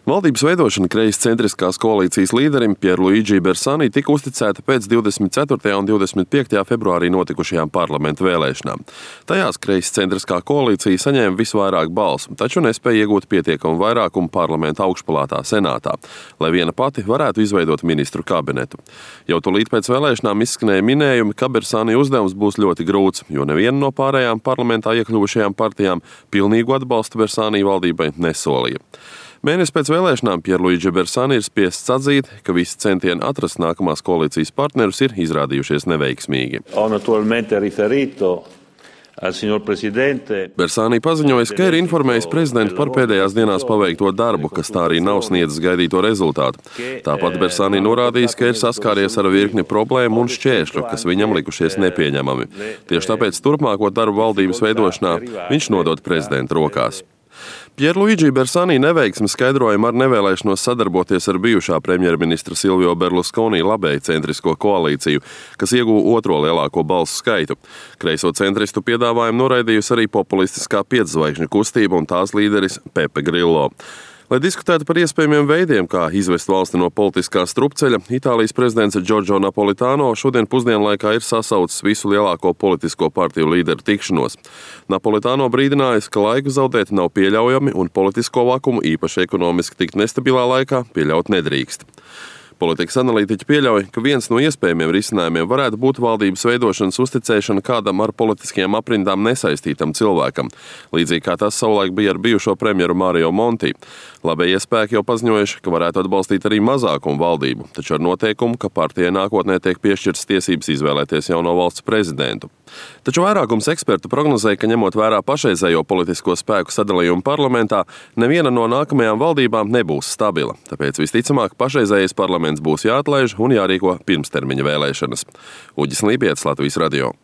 Valdības veidošana kreiscentriskās koalīcijas līderim Pierluigi Bersani tika uzticēta pēc 24. un 25. februārī notikušajām parlamentu vēlēšanām. Tajās kreiscentriskā koalīcija saņēma visvairāk balsu, taču nespēja iegūt pietiekamu vairākumu parlamenta augšpalātā senātā, lai viena pati varētu izveidot ministru kabinetu. Jau tūlīt pēc vēlēšanām izskanēja minējumi, ka Bersani uzdevums būs ļoti grūts, jo neviena no pārējām parlamentā iekļuvušajām partijām pilnīgu atbalstu Bersani valdībai nesolīja. Mēnesi pēc vēlēšanām Pierluigi Bersani ir spiests atzīt, ka visi centieni atrast nākamās koalīcijas partnerus ir izrādījušies neveiksmīgi. Bersani paziņoja, ka ir informējis prezidentu par pēdējās dienās paveikto darbu, kas tā arī nav sniedzis gaidīto rezultātu. Tāpat Bersani norādījis, ka ir saskāries ar virkni problēmu un šķēršļu, kas viņam likušies nepieņemami. Tieši tāpēc turpmāko darbu valdības veidošanā viņš nodod prezidenta rokās. Pierluigi Bersani neveiksmi skaidrojumu ar nevēlēšanos sadarboties ar bijušā premjerministra Silvio Berlusconi labēju centrisko koalīciju, kas ieguva otro lielāko balsu skaitu. Kreiso centristu piedāvājumu noraidījusi arī populistiskā pietzvaigžņu kustība un tās līderis Pepe Grillo. Lai diskutētu par iespējamiem veidiem, kā izvest valsti no politiskā strupceļa, Itālijas prezidents Giorgio Napolitano šodien pusdienlaikā ir sasaucis visu lielāko politisko partiju līderu tikšanos. Napolitano brīdinājis, ka laiku zaudēt nav pieļaujami un politisko vakumu īpaši ekonomiski tik nestabilā laikā pieļaut nedrīkst. Politikas analītiķi pieļauj, ka viens no iespējamiem risinājumiem varētu būt valdības veidošanas uzticēšana kādam ar politiskajām aprindām nesaistītam cilvēkam, līdzīgi kā tas savulaik bija ar bijušo premjeru Mario Monti. Labējie spēki jau paziņojuši, ka varētu atbalstīt arī mazākumu valdību, taču ar noteikumu, ka partijai nākotnē tiek piešķirtas tiesības izvēlēties jauno valsts prezidentu. Taču vairākums ekspertu prognozēja, ka ņemot vērā pašreizējo politisko spēku sadalījumu parlamentā, neviena no nākamajām valdībām nebūs stabila, tāpēc visticamāk pašreizējais parlaments būs jāatlaiž un jārīko pirmstermiņa vēlēšanas. Uģis Lībietis, Latvijas radio.